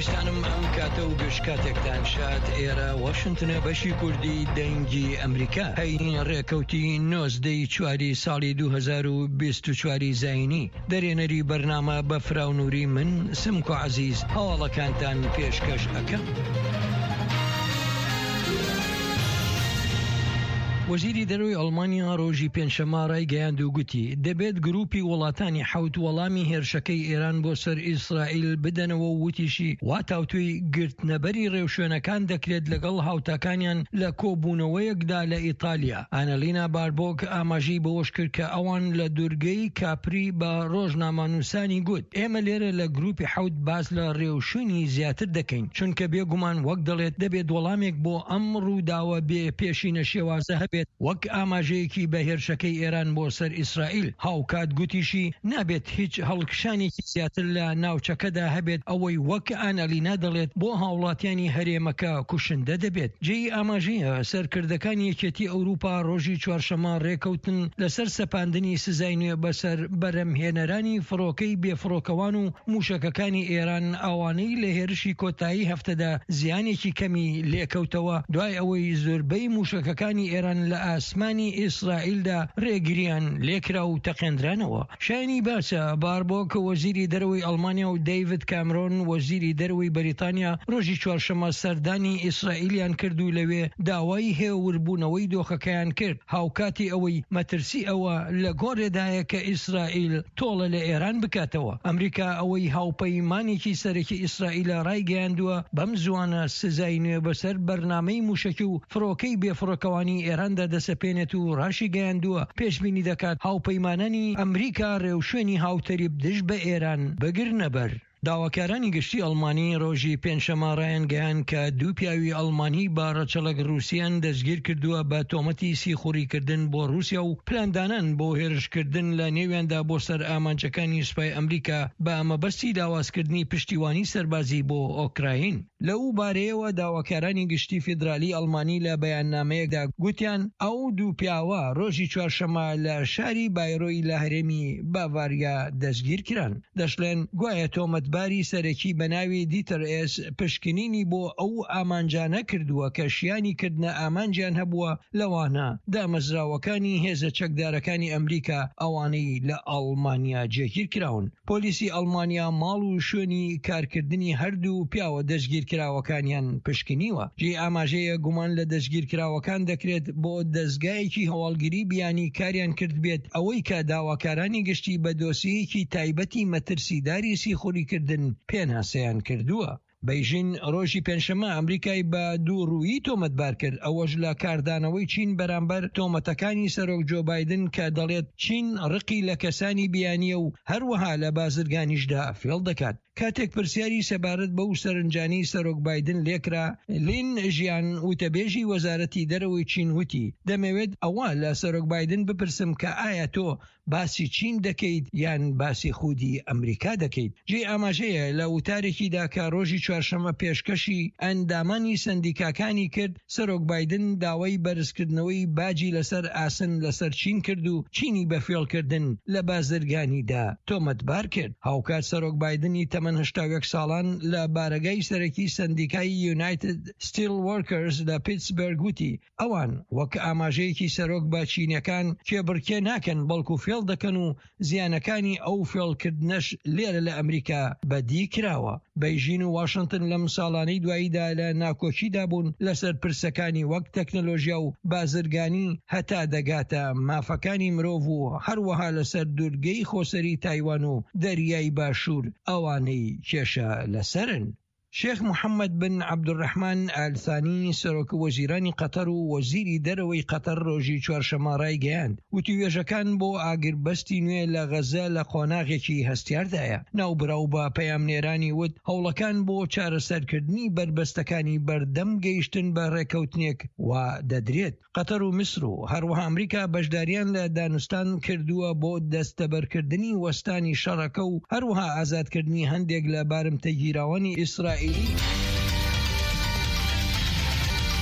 خۆشەویستانم ئەم کاتە و گشت کاتێکتان شاد ئێرە واشنتنە بەشی کوردی دەنگی ئەمریکا هەینی ڕێکەوتی نۆزدەی چواری ساڵی 2024 زینی دەرێنەری بەرنامە بە فراونوری من سمکۆ عەزیز هەواڵەکانتان پێشکەش ئەکەم. وەزیری دەرەوەی ئەڵمانیا ڕۆژی پێنجشەممە ڕایگەیاند و گوتی، دەبێت گروپی وڵاتانی حەوت وەڵامی هێرشەکەی ئێران بۆ سەر ئیسرائیل بدەنەوە و وتیشی، وا تاوتوێی گرتنەبەری ڕێوشوێنەکان دەکرێت لەگەڵ هاوتاکانیان لە کۆبوونەوەیەکدا لە ئیتالیا. ئانەلینا باربۆک ئاماژەی بەوەشکرد کە ئەوان لە دورگەی کاپری بە ڕۆژنامەنووسانی گوت، ئێمە لێرە لە گروپی حەوت باس لە ڕێوشوێنی زیاتر دەکەین، چونکە بێگومان وەک دەڵێت دەبێت وەڵامێک بۆ ئەم ڕووداوە بێ پێشینە شێوازە هەبێت وەک ئاماژەیەکی بە هێرشەکەی ئێران بۆ سەر ئیسرائیل. هاوکات گوتیشی، نابێت هیچ هەڵکشانێکی زیاتر لە ناوچەکەدا هەبێت، ئەوەی وەک ئانالینا دەڵێت بۆ هاوڵاتیانی هەرێمەکە کوشندە دەبێت. جێی ئاماژەیە، سەرکردەکانی یەکێتی ئەوروپا ڕۆژی چوارشەممە ڕێکەوتن لەسەر سەپاندنی سزای نوێ بەسەر بەرهەمهێنەرانی فڕۆکەی بێفڕۆکەوان و موشەکەکانی ئێران ئەوانەی لە هێرشی کۆتایی هەفتەدا زیانێکی کەمی لێکەوتەوە دوای ئەوەی زۆربەی موشەکەکانی ئێران لە ئاسمانی ئیسرائیلدا ڕێگریان لێکرا و تەقێندرانەوە. شایانی باسە، باربۆک وەزیری دەرەوەی ئەڵمانیا و دەیڤد کامرۆن وەزیری دەرەوەی بەریتانیا ڕۆژی چوارشەممە سەردانی ئیسرائیلیان کرد و لەوێ داوای هێوربوونەوەی دۆخەکەیان کرد هاوکاتی ئەوەی مەترسی ئەوە لە گۆڕێدایە کە ئیسرائیل تۆڵە لە ئێران بکاتەوە. ئەمریکا ئەوەی هاوپەیمانێکی سەرەکی ئیسرائیلە ڕایگەیاندووە بەم زووانە سزای نوێ بەسەر بەرنامەی مووشەکی و فڕۆکەی بێفڕۆکەوانی ئێراندا دەسەپێنێت و ڕاشیگەیاندووە پێشبینی دەکات هاوپەیمانانی ئەمریکا ڕێوشوێنی هاوتەریب دژ بە ئێران بگرنەبەر. داواکارانی گشتی ئەڵمانی ڕۆژی پێنجشەممە ڕایانگەیاند کە دوو پیاوی ئەڵمانی بە ڕەچەڵەک ڕووسییان دەستگیرکردووە بە تۆمەتی سیخوڕیکردن بۆ ڕووسیا و پلاندانان بۆ هێرشکردن لە نێویاندا بۆ سەر ئامانجەکانی سوپای ئەمریکا بە مەبەستی لاوازکردنی پشتیوانی سەربازی بۆ ئۆکراین. لەو بارەیەوە داواکارانی گشتی فیدرالی ئەڵمانی لە بەیاننامەیەکدا گوتیان ئەو دوو پیاوە ڕۆژی چوارشەممە لە شاری بایرۆی لە هەرێمی باڤاریا دەستگیرکران. دەشڵێن گوایە تۆمەتباری سەرەکی بە ناوی دیتەر ئێس پشکنینی بۆ ئەو ئامانجانە کردووە کە شیانی کردنە ئامانجیان هەبووە لەوانە دامەزراوەکانی هێزە چەکدارەکانی ئەمریکا ئەوانەی لە ئەڵمانیا جێگیرکراون. پۆلیسی ئەڵمانیا ماڵ و شوێنی کارکردنی هەردوو پیاوە دەستگیرکراوەکانیان پشکنیوە. جێی ئاماژەیە گومان لە دەستگیرکراوەکان دەکرێت بۆ دەزگایەکی هەواڵگری بیانی کاریان کردبێت، ئەوەی کە داواکارانی گشتی بە دۆسیەیەکی تایبەتی مەترسیداری سیخوڕیکردن پێناسەیان کردووە. بەیژین ڕۆژی پێنجشەممە ئەمریکای بە دووڕوویی تۆمەتبار کرد، ئەوەش لە کاردانەوەی چین بەرامبەر تۆمەتەکانی سەرۆک جۆ بایدن کە دەڵێت چین ڕقی لە کەسانی بیانییە و هەروەها لە بازرگانیشدا فێڵ دەکات. کاتێک پرسیاری سەبارەت بەو سەرنجانەی سەرۆک بایدن لێکرا، لین ژیان وتەبێژی وەزارەتی دەرەوەی چین وتی، دەمەوێت ئەوە لە سەرۆک بایدن بپرسم کە ئایا تۆ باسی چین دەکەیت یان باسی خودی ئەمریکا دەکەیت؟ جێی ئاماژەیە لە وتارێکیدا کە ڕۆژی چوارشەممە پێشکەشی ئەندامانی سەندیکاکانی کرد، سەرۆک بایدن داوای بەرزکردنەوەی باجی لەسەر ئاسن لەسەر چین کرد و چینی بە فێڵکردن لە بازرگانیدا تۆمەتبار کرد. هاوکات سەرۆک بایدنی تەمەن 81 ساڵان لە بارەگای سەرەکی سەندیکای یونایتد ستیل وۆرکەرز لە پیتسبێرگ وتی، ئەوان وەک ئاماژەیەکی سەرۆک بە چینیەکان کێبڕکێ ناکەن بەڵکو فێڵ دەکەن و زیانەکانی ئەو فێڵکردنەش لێرە لە ئەمریکا بەدی کراوە. بەیژین و واشنتن لەم ساڵانەی دواییدا لە ناکۆکیدا بوون لەسەر پرسەکانی وەک تەکنەلۆژیا و بازرگانی هەتا دەگاتە مافەکانی مرۆڤ و هەروەها لەسەر دورگەی خۆسەری تایوان و دەریای باشوور ئەوانەی کێشە لەسەرن. شێخ محەممەد بن عەبدولڕەحمان ئال ثانی، سەرۆک وەزیرانی قەتەر و وەزیری دەرەوەی قەتەر ڕۆژی چوارشەممە ڕایگەیاند، وتووێژەکان بۆ ئاگربەستی نوێ لە غەززە لە قۆناغێکی هەستیاردایە. ناوبراو بە پەیامنێرانی وت، هەوڵەکان بۆ چارەسەرکردنی بەربەستەکانی بەردەم گەیشتن بە ڕێککەوتنێک وا دەدرێت. قەتەر و میسر و هەروەها ئەمریکا بەشداریان لە دانوستان کردووە بۆ دەستەبەرکردنی وەستانی شەڕەکە و هەروەها ئازادکردنی هەندێک لە بارمتەگیراوانی ئیسرائیلی.